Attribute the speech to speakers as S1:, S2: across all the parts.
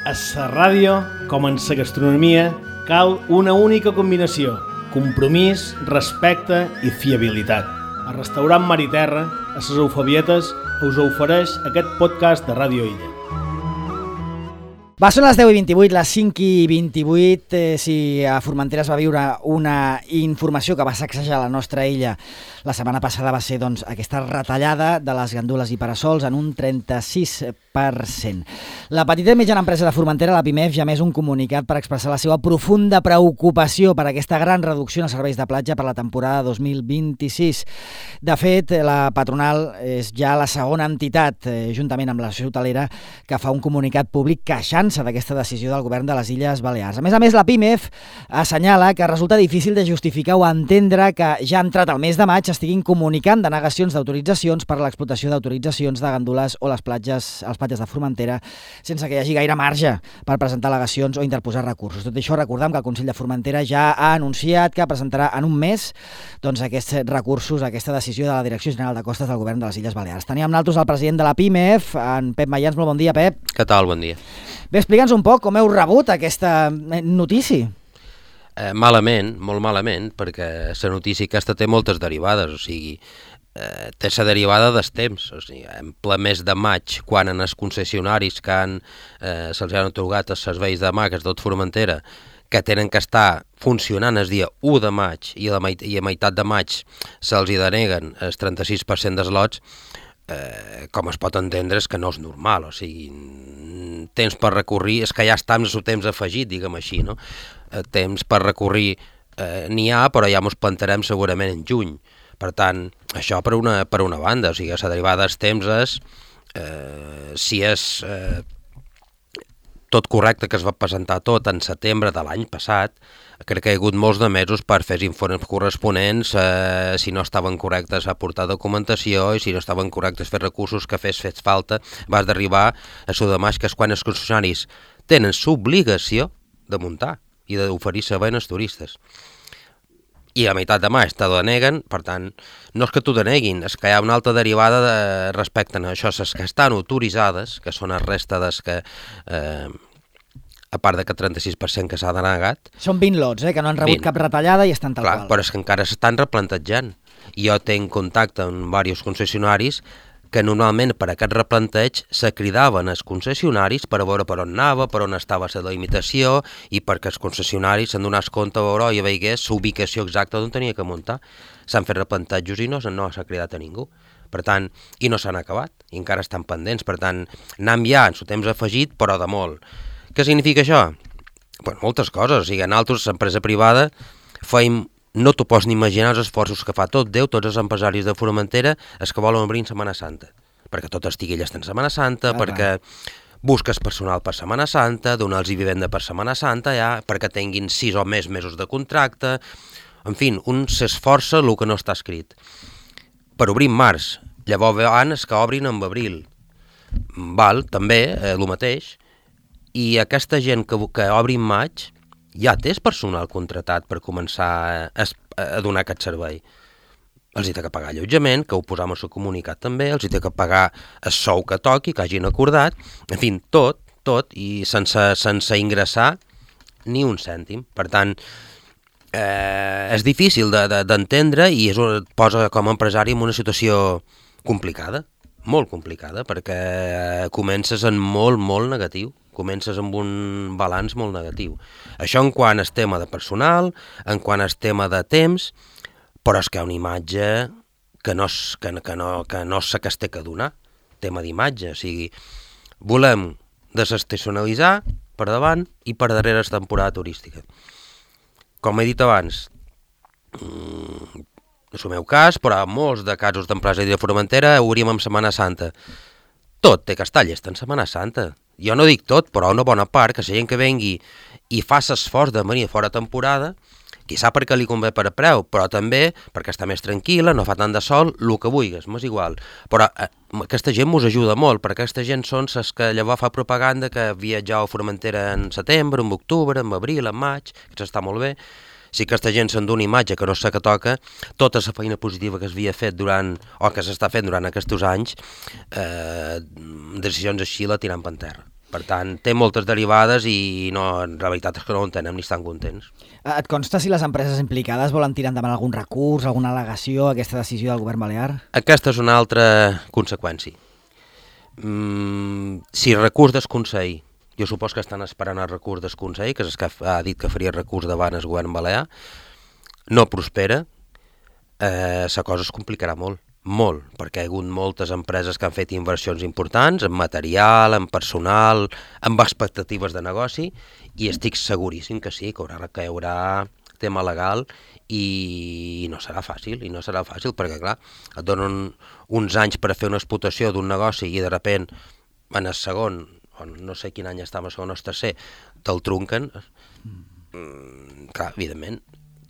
S1: A la ràdio, com en la gastronomia, cal una única combinació: compromís, respecte i fiabilitat. El restaurant Mar i Terra, a les Eufebietes, us ofereix aquest podcast de Ràdio Illa.
S2: Va, són les 10:28, les 5:28. Si a Formentera es va viure una informació que va sacsejar la nostra illa la setmana passada, va ser doncs, aquesta retallada de les gandules i parasols en un 36%. La petita i mitjana empresa de Formentera, la PIMEF, ja més un comunicat per expressar la seva profunda preocupació per aquesta gran reducció en els serveis de platja per la temporada 2026. De fet, la patronal és ja la segona entitat, juntament amb l'associació hotelera, que fa un comunicat públic queixant-se d'aquesta decisió del govern de les Illes Balears. A més, la PIMEF assenyala que resulta difícil de justificar o entendre que ja entrat el mes de maig estiguin comunicant denegacions d'autoritzacions per a l'explotació d'autoritzacions de gandules o les platges de Formentera sense que hi hagi gaire marge per presentar al·legacions o interposar recursos. Tot això, recordem que el Consell de Formentera ja ha anunciat que presentarà en un mes doncs, aquests recursos, aquesta decisió de la Direcció General de Costes del Govern de les Illes Balears. Tenim amb nosaltres el president de la PIMEF, en Pep Mayans. Molt bon dia, Pep.
S3: Què tal? Bon dia.
S2: Bé, explica'ns un poc com heu rebut aquesta notícia.
S3: Malament, molt malament, perquè la notícia aquesta té moltes derivades, o sigui, té la derivada dels temps, o sigui, en ple mes de maig, quan en els concessionaris que se'ls han atorgat els serveis de maques tot Formentera, que tenen que estar funcionant el dia 1 de maig i a meitat de maig se'ls hi deneguen el 36% dels lots, com es pot entendre és que no és normal, o sigui, temps per recorrir, és que ja està amb el temps afegit, diguem així, no? Temps per recorrir n'hi ha, però ja ens plantarem segurament en juny. Per tant, això per una banda, o sigui, la derivada dels temps és, si és tot correcte que es va presentar tot en setembre de l'any passat, crec que hi ha hagut molts de mesos per fer els informes corresponents, si no estaven correctes aportar documentació i si no estaven correctes fer recursos que fes falta, vas d'arribar a l'1 de maig, que és quan els concessionaris tenen l'obligació de muntar i d'oferir servei als turistes. I a meitat de maig te deneguen, per tant, no és que t'ho deneguin, és que hi ha una altra derivada respecte a això, les que estan autoritzades, que són el resta des que, a part d'aquest 36% que s'ha denegat.
S2: Són 20 lots, que no han rebut cap retallada i estan tal qual.
S3: Però és que encara s'estan replantejant. Jo tenc contacte amb diversos concessionaris que normalment per aquest replanteig se cridaven els concessionaris per a veure per on anava, per on estava la limitació i perquè els concessionaris se'n donés compte a veure i veigués l'ubicació exacta d'on tenia que muntar. S'han fet replantejos i no s'ha cridat a ningú. Per tant, i no s'han acabat, i encara estan pendents. Per tant, anem ja en el temps afegit, però de molt. Què significa això? Pues moltes coses. O sigui, nosaltres, l'empresa privada, feim. No t'ho pots ni imaginar els esforços que fa tot Déu, tots els empresaris de Formentera, els que volen obrir en Setmana Santa. Perquè tot estigui llest en Setmana Santa, perquè busques personal per Setmana Santa, donar-los vivenda per Setmana Santa, ja, perquè tinguin 6 o més mesos de contracte. En fi, un s'esforça el que no està escrit. Per obrir en març, llavors abans que obrin en abril. Val, també, el mateix. I aquesta gent que obri en maig ja té personal contratat per començar a donar aquest servei. Els hi té que pagar allotjament, que ho posam al seu comunicat també, els hi té que pagar el sou que toqui, que hagin acordat, en fi, tot, i sense ingressar ni un cèntim. Per tant, és difícil d'entendre i et posa com a empresari en una situació complicada, molt complicada, perquè comences en molt negatiu. Comences amb un balanç molt negatiu. Això en quant al tema de personal, en quant al tema de temps, però és que hi ha una imatge que no és la que es té que donar, tema d'imatge. O sigui, volem desestacionalitzar per davant i per darrere la temporada turística. Com he dit abans, no és el meu cas, però molts de casos d'empresa de Formentera obríem en Setmana Santa. Tot té que estar llest en Setmana Santa. Jo no dic tot, però una bona part, que la gent que vengui i fa l'esforç de venir fora temporada, quizà perquè li convé per preu, però també perquè està més tranquil·la, no fa tant de sol, el que vulguis, m'és igual. Però aquesta gent mos ajuda molt, perquè aquesta gent són les que llavors fa propaganda que viatjau a Formentera en setembre, en octubre, en abril, en maig, que està molt bé. Si aquesta gent se'n dona imatge que no sé què toca, tota la feina positiva que s'havia fet o que s'està fent durant aquests anys, decisions així la tirant per terra. Per tant, té moltes derivades i la veritat és que no ho entenem ni estan contents.
S2: Et consta si les empreses implicades volen tirar endavant algun recurs, alguna al·legació a aquesta decisió del govern balear?
S3: Aquesta és una altra conseqüència. Si recurs del Consell, jo supos que estan esperant el recurs del Consell, que és el que ha dit que faria recurs davant el govern balear, no prospera, la cosa es complicarà molt, perquè hi ha hagut moltes empreses que han fet inversions importants en material, en personal, amb expectatives de negoci, i estic seguríssim que sí, que hi haurà tema legal i no serà fàcil, perquè clar, et donen uns anys per fer una explotació d'un negoci i de sobte en el segon, no sé quin any estava el segon o el tercer, te'l trunquen. Clar, evidentment,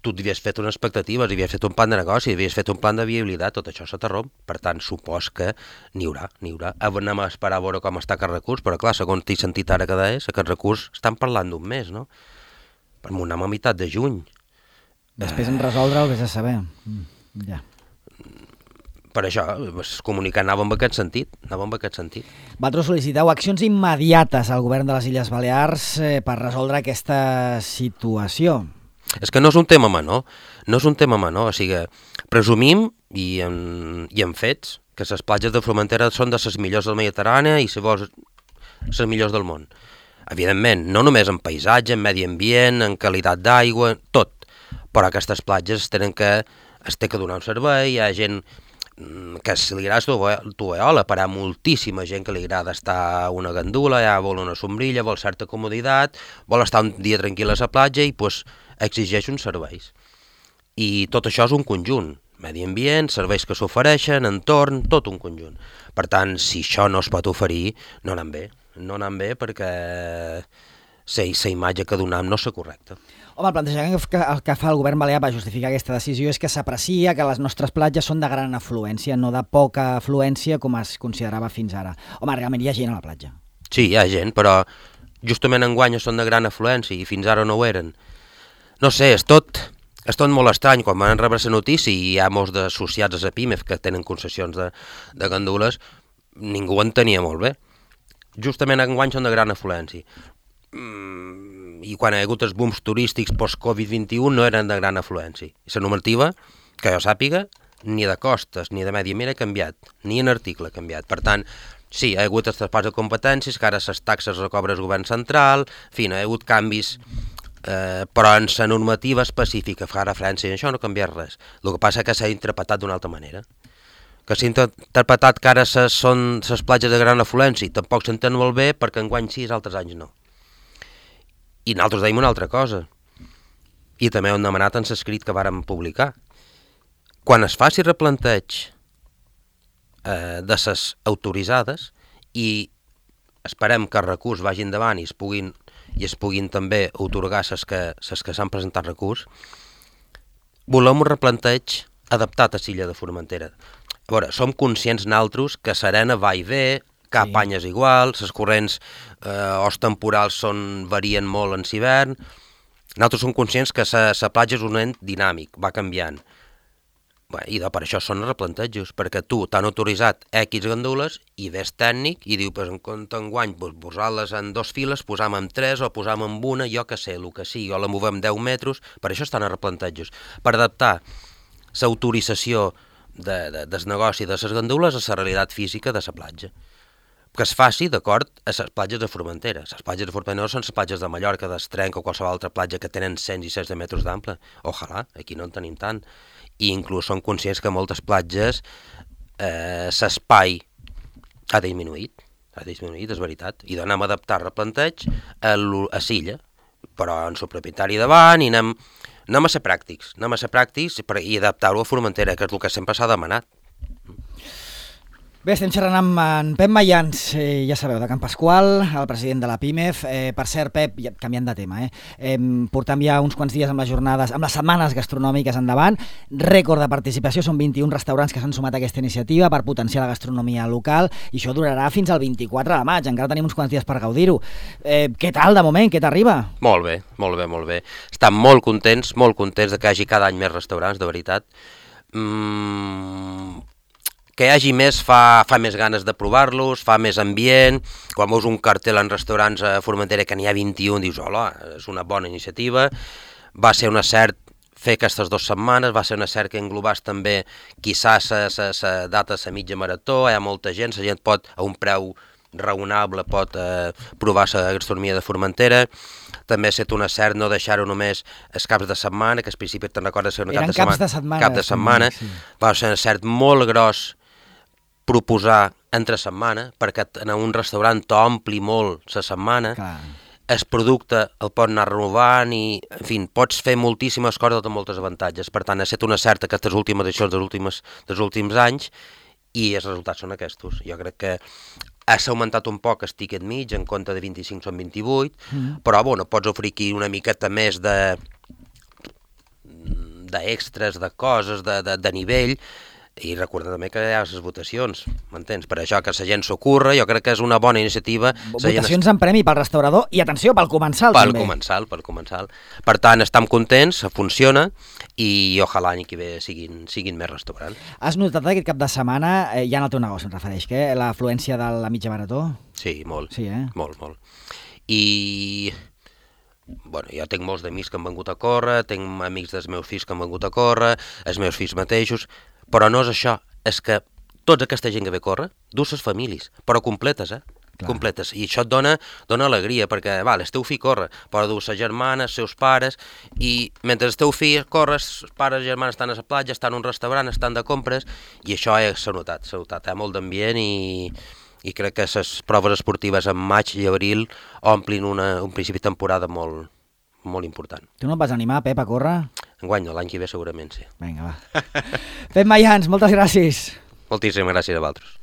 S3: tu havies fet unes expectatives, havies fet un plan de negoci, havies fet un plan de viabilitat, tot això se t'arromp. Per tant, supos que n'hi haurà. Anem a esperar a veure com està aquest recurs, però clar, segons t'he sentit ara que deies, aquest recurs estan parlant d'un mes, no? Per anem a meitat de juny.
S2: Després en resoldre el que has de saber. Ja.
S3: Per això, el comunicat anava en aquest sentit.
S2: Vosaltres sol·liciteu accions immediates al govern de les Illes Balears per resoldre aquesta situació.
S3: És que no és un tema menor, o sigui, presumim i en fets que les platges de Formentera són de les millors del Mediterrani i si vols les millors del món. Evidentment, no només en paisatge, en medi ambient, en qualitat d'aigua, tot, però aquestes platges es té que donar un servei, hi ha gent que si li agrada tovallola, però hi ha moltíssima gent que li agrada estar a una gandula, ja vol una sombrilla, vol certa comoditat, vol estar un dia tranquil a la platja i pues, exigeix uns serveis. I tot això és un conjunt, medi ambient, serveis que s'ofereixen, entorn, tot un conjunt. Per tant, si això no es pot oferir, no anem bé perquè la imatge que donem no és correcta.
S2: Home, el plantejament que fa el govern balear per justificar aquesta decisió és que s'aprecia que les nostres platges són de gran afluència, no de poca afluència com es considerava fins ara. Home, realment hi ha gent a la platja.
S3: Sí, hi ha gent, però justament enguany són de gran afluència i fins ara no ho eren. No sé, és tot molt estrany. Quan van rebre la notícia i hi ha molts d'associats a PIMEF que tenen concessions de gandules, ningú ho entenia molt bé. Justament enguany són de gran afluència. I quan hi ha hagut els booms turístics post-Covid-21 no eren de gran afluència. I la normativa, que jo sàpiga, ni de costes ni de medi ambient ha canviat, ni en article ha canviat. Per tant, sí, hi ha hagut els traspàs de competències, que ara les taxes recobra el govern central, en fi, no hi ha hagut canvis, però en la normativa específica fa referència a això no ha canviat res. El que passa és que s'ha interpretat d'una altra manera. Que s'ha interpretat que ara són les platges de gran afluència i tampoc s'entén molt bé perquè enguany sí i altres anys no. I nosaltres deim una altra cosa, i també ho hem demanat en l'escrit que vàrem publicar. Quan es faci replanteig de les autoritzades i esperem que el recurs vagi endavant i es puguin també atorgar les que s'han presentat recurs, volem un replanteig adaptat a l'illa de Formentera. A veure, som conscients nosaltres que Serena va i ve, cap any és igual, les corrents o els temporals varien molt en l'hivern. Nosaltres som conscients que la platja és un ent dinàmic, va canviant. I per això són replantejos, perquè tu t'han autoritzat X gandules i ves tècnic i diu, en compte enguany, posar-les en 2 files, posam en 3 o posam en una, jo que sé, el que sigui, o la movem 10 metres, per això estan a replantejos, per adaptar l'autorització del negoci de les gandules a la realitat física de la platja. Que es faci d'acord a les platges de Formentera. Les platges de Formentera no són les platges de Mallorca, d'Estrenc o qualsevol altra platja que tenen 100 i 16 metres d'ample. Ojalà, aquí no en tenim tant. I inclús som conscients que moltes platges l'espai ha disminuït, és veritat, i anem a adaptar replanteig a l'illa, però en el propietari davant i anem a ser pràctics i adaptar-ho a Formentera, que és el que sempre s'ha demanat.
S2: Bé, estem xerrant amb en Pep Mayans, ja sabeu, de Can Pasqual, el president de la PIMEF. Per cert, Pep, canviant de tema, portam ja uns quants dies amb les jornades, amb les setmanes gastronòmiques endavant, rècord de participació, són 21 restaurants que s'han sumat a aquesta iniciativa per potenciar la gastronomia local, i això durarà fins al 24 de maig, encara tenim uns quants dies per gaudir-ho. Què tal, de moment, què t'arriba?
S3: Molt bé. Estan molt contents de que hi hagi cada any més restaurants, de veritat. que hi hagi més fa més ganes de provar-los, fa més ambient. Quan veus un cartel en restaurants a Formentera que n'hi ha 21, dius, hola, és una bona iniciativa. Va ser un acert fer aquestes 2 setmanes, va ser un acert que englobàs també quizás la data de la mitja marató, hi ha molta gent, la gent pot, a un preu raonable, pot provar la gastronomia de Formentera. També ha estat un acert no deixar-ho només els caps de setmana, que al principi te'n recordes que
S2: eren caps de setmana.
S3: Cap de setmana. Sí. Va ser un acert molt gros proposar entre setmana, perquè en un restaurant t'ompli molt la setmana.
S2: Clar.
S3: El producte el pots anar renovant i, en fi, pots fer moltíssimes coses amb moltes avantatges. Per tant, ha estat una certa aquestes últimes edicions dels últims anys i els resultats són aquests. Jo crec que s'ha augmentat un poc el tiquet mig, en compte de 25 són 28, però bueno, pots oferir aquí una miqueta més d'extras, de coses, de nivell. I recorda també que hi ha les votacions, m'entens? Per això que la gent s'ocorre, jo crec que és una bona iniciativa.
S2: Votacions en premi pel restaurador i, atenció, pel comensal també.
S3: Pel comensal. Per tant, estem contents, funciona i ojalà l'any que ve siguin més restaurants.
S2: Has notat aquest cap de setmana, ja en el teu negoci em refereix, que l'afluència de la mitja marató?
S3: Sí, molt.
S2: Sí,
S3: Molt. I bueno, jo tinc molts d'amics que han vengut a córrer, tinc amics dels meus fills que han vengut a córrer, els meus fills mateixos. Però no és això, és que tota aquesta gent que ve a córrer, du ses famílies, però completes,
S2: Clar.
S3: Completes. I això et dona alegria, perquè, el teu fill corre, però du sa germana, els seus pares, i mentre el teu fill corre, els pares i germanes estan a la platja, estan a un restaurant, estan de compres, i això s'ha notat, hi ha molt d'ambient i crec que les proves esportives en maig i abril omplin un principi de temporada molt important.
S2: Tu no et vas animar, Pep, a córrer?
S3: Enguany no, l'any que ve segurament sí.
S2: Vinga, va. Pep Mayans, moltes gràcies.
S3: Moltíssimes gràcies a vosaltres.